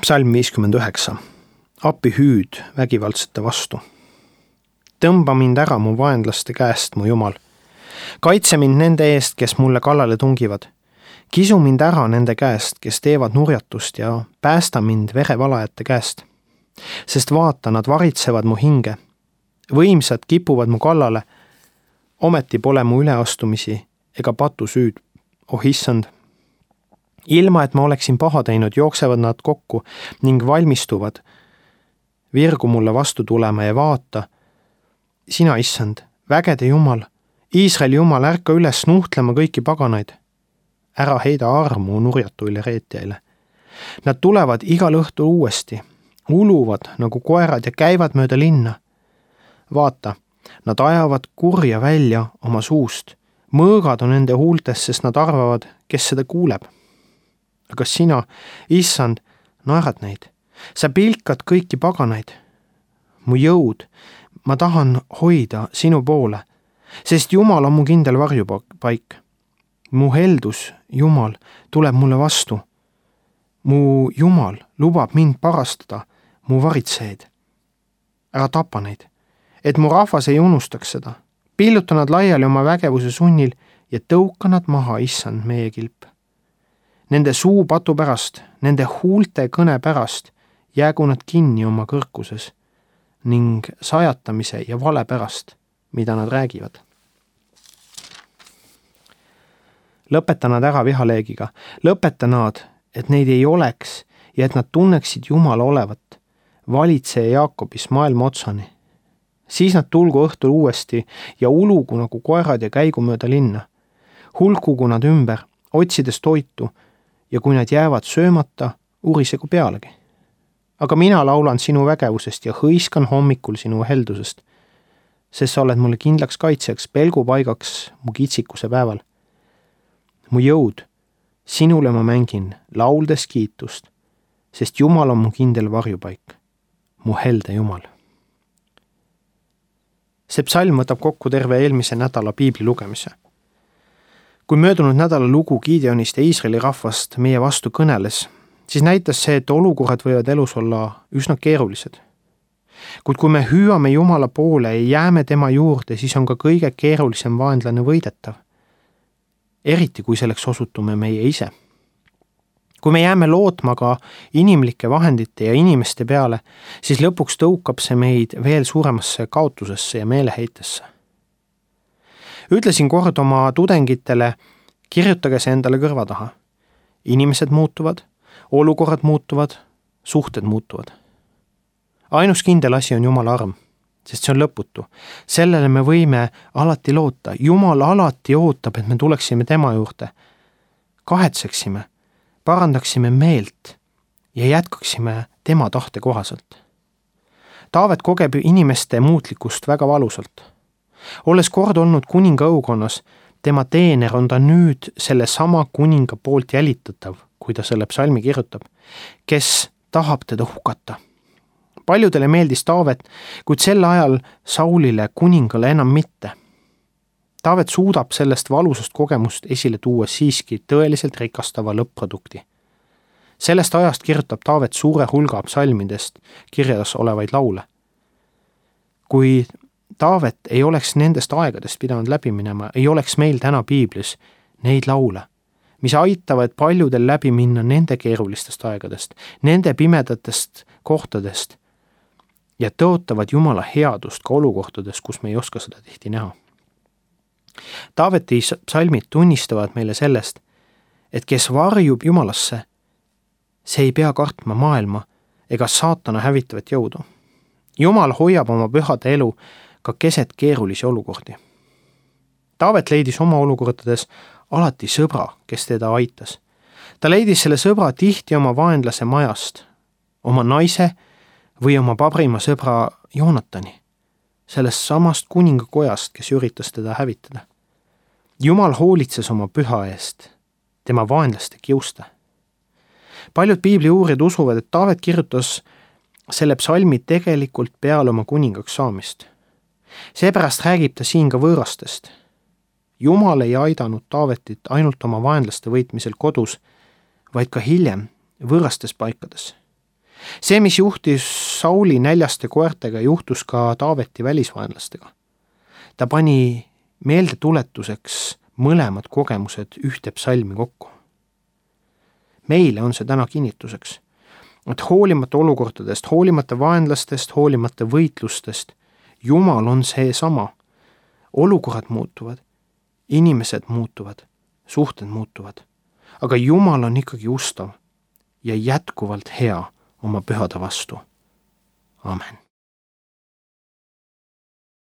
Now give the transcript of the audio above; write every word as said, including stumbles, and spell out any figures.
Psalm viiskümmend üheksa. Appi hüüd vägivaldsete vastu. Tõmba mind ära mu vaenlaste käest, mu Jumal. Kaitse mind nende eest, kes mulle kallale tungivad. Kisu mind ära nende käest, kes teevad nurjatust ja päästa mind verevalajate käest. Sest vaata, nad varitsevad mu hinge. Võimsad kipuvad mu kallale. Ometi pole mu üleastumisi ega patu süüd. Oh issand! Ilma, et ma oleksin paha teinud, jooksevad nad kokku ning valmistuvad virgu mulle vastu tulema ja vaata, sina, issand, vägede Jumal, Iisraeli Jumal, ärka üles nuhtlema kõiki paganaid. Ära heida armu nurjatuile reetjaile. Nad tulevad igal õhtul uuesti, uluvad nagu koerad ja käivad mööda linna. Vaata, nad ajavad kurja välja oma suust. Mõõgad on nende huultes, sest nad arvavad, kes seda kuuleb. Aga sina, issand, naerad neid. Sa pilkad kõiki paganaid. Mu jõud, ma tahan hoida sinu poole, sest Jumal on mu kindel varjupaik. Mu heldus, Jumal, tuleb mulle vastu. Mu Jumal lubab mind parastada, mu varitseid. Ära tapa neid, et mu rahvas ei unustaks seda. Pilluta nad laiali oma vägevuse sunnil ja tõuka nad maha, issand, meie kilp. Nende suu patu pärast, nende huulte kõne pärast jäägu nad kinni oma kõrkuses ning sajatamise ja vale pärast, mida nad räägivad. Lõpeta nad ära vihaleegiga, lõpeta nad, et neid ei oleks ja et nad tunneksid Jumala olevat, valitseja Jaakobis maailma otsani. Siis nad tulgu õhtul uuesti ja ulugu nagu koerad ja käigu mööda linna. Hulkugu nad ümber, otsides toitu, ja kui nad jäävad söömata, urisegu pealegi. Aga mina laulan sinu vägevusest ja hõiskan hommikul sinu heldusest, sest sa oled mulle kindlaks kaitseks, pelgupaigaks mu kitsikuse päeval. Mu jõud, sinule ma mängin, lauldes kiitust, sest Jumal on mu kindel varjupaik, mu helde Jumal. See psalm võtab kokku terve eelmise nädala piibli lugemise. Kui möödunud nädala lugu Gideonist ja Iisraeli rahvast meie vastu kõneles, siis näitas see, et olukorrad võivad elus olla üsna keerulised. Kuid kui me hüüame Jumala poole ja jääme tema juurde, siis on ka kõige keerulisem vaenlane võidetav. Eriti kui selleks osutume meie ise. Kui me jääme lootma ka inimlike vahendite ja inimeste peale, siis lõpuks tõukab see meid veel suuremasse kaotusesse ja meeleheitesse. Ütlesin kord oma tudengitele, kirjutage see endale kõrva taha. Inimesed muutuvad, olukorrad muutuvad, suhted muutuvad. Ainus kindel asi on Jumala arm, sest see on lõputu. Sellele me võime alati loota. Jumal alati ootab, et me tuleksime tema juurde. Kahetseksime, parandaksime meelt ja jätkaksime tema tahte kohaselt. Taavet kogeb inimeste muutlikkust väga valusalt. Olles kord olnud kuninga õukonnas, tema teener on ta nüüd selle sama kuninga poolt jälitatav, kui ta selle psalmi kirjutab, kes tahab teda hukata. Paljudele meeldis Taavet, kuid sel ajal Saulile kuningale enam mitte. Taavet suudab sellest valusast kogemust esile tuua siiski tõeliselt rikastava lõpp-produkti. Sellest ajast kirjutab Taavet suure hulga psalmidest kirjas olevaid laule. Kui Taavet ei oleks nendest aegadest pidanud läbi minema, ei oleks meil täna piiblis neid laule, mis aitavad paljudel läbi minna nende keerulistest aegadest, nende pimedatest kohtadest ja tõotavad Jumala headust ka olukortades, kus me ei oska seda tihti näha. Taaveti psalmid tunnistavad meile sellest, et kes varjub Jumalasse, see ei pea kartma maailma ega saatana hävitavat jõudu. Jumal hoiab oma pühade elu ka keset keerulisi olukordi. Taavet leidis oma olukordades alati sõbra, kes teda aitas. Ta leidis selle sõbra tihti oma vaenlase majast, oma naise või oma pabrima sõbra Joonatani, sellest samast kuningakojast, kes üritas teda hävitada. Jumal hoolitses oma püha eest, tema vaenlaste kiuste. Paljud piibli uurijad usuvad, et Taavet kirjutas selle psalmi tegelikult peale oma kuningaks saamist. Seepärast räägib ta siin ka võõrastest. Jumal ei aidanud Taavetit ainult oma vaenlaste võitmisel kodus, vaid ka hiljem võõrastes paikades. see, mis juhtis Sauli näljaste koertega, juhtus ka Taaveti välisvaenlastega. Ta pani meeldetuletuseks mõlemad kogemused ühte psalmi kokku. Meile on see täna kinnituseks, et hoolimata olukordadest, hoolimata vaenlastest, hoolimata võitlustest, Jumal on see sama. Olukorrad muutuvad, inimesed muutuvad, suhted muutuvad, aga Jumal on ikkagi ustav ja jätkuvalt hea oma pühade vastu. Amen.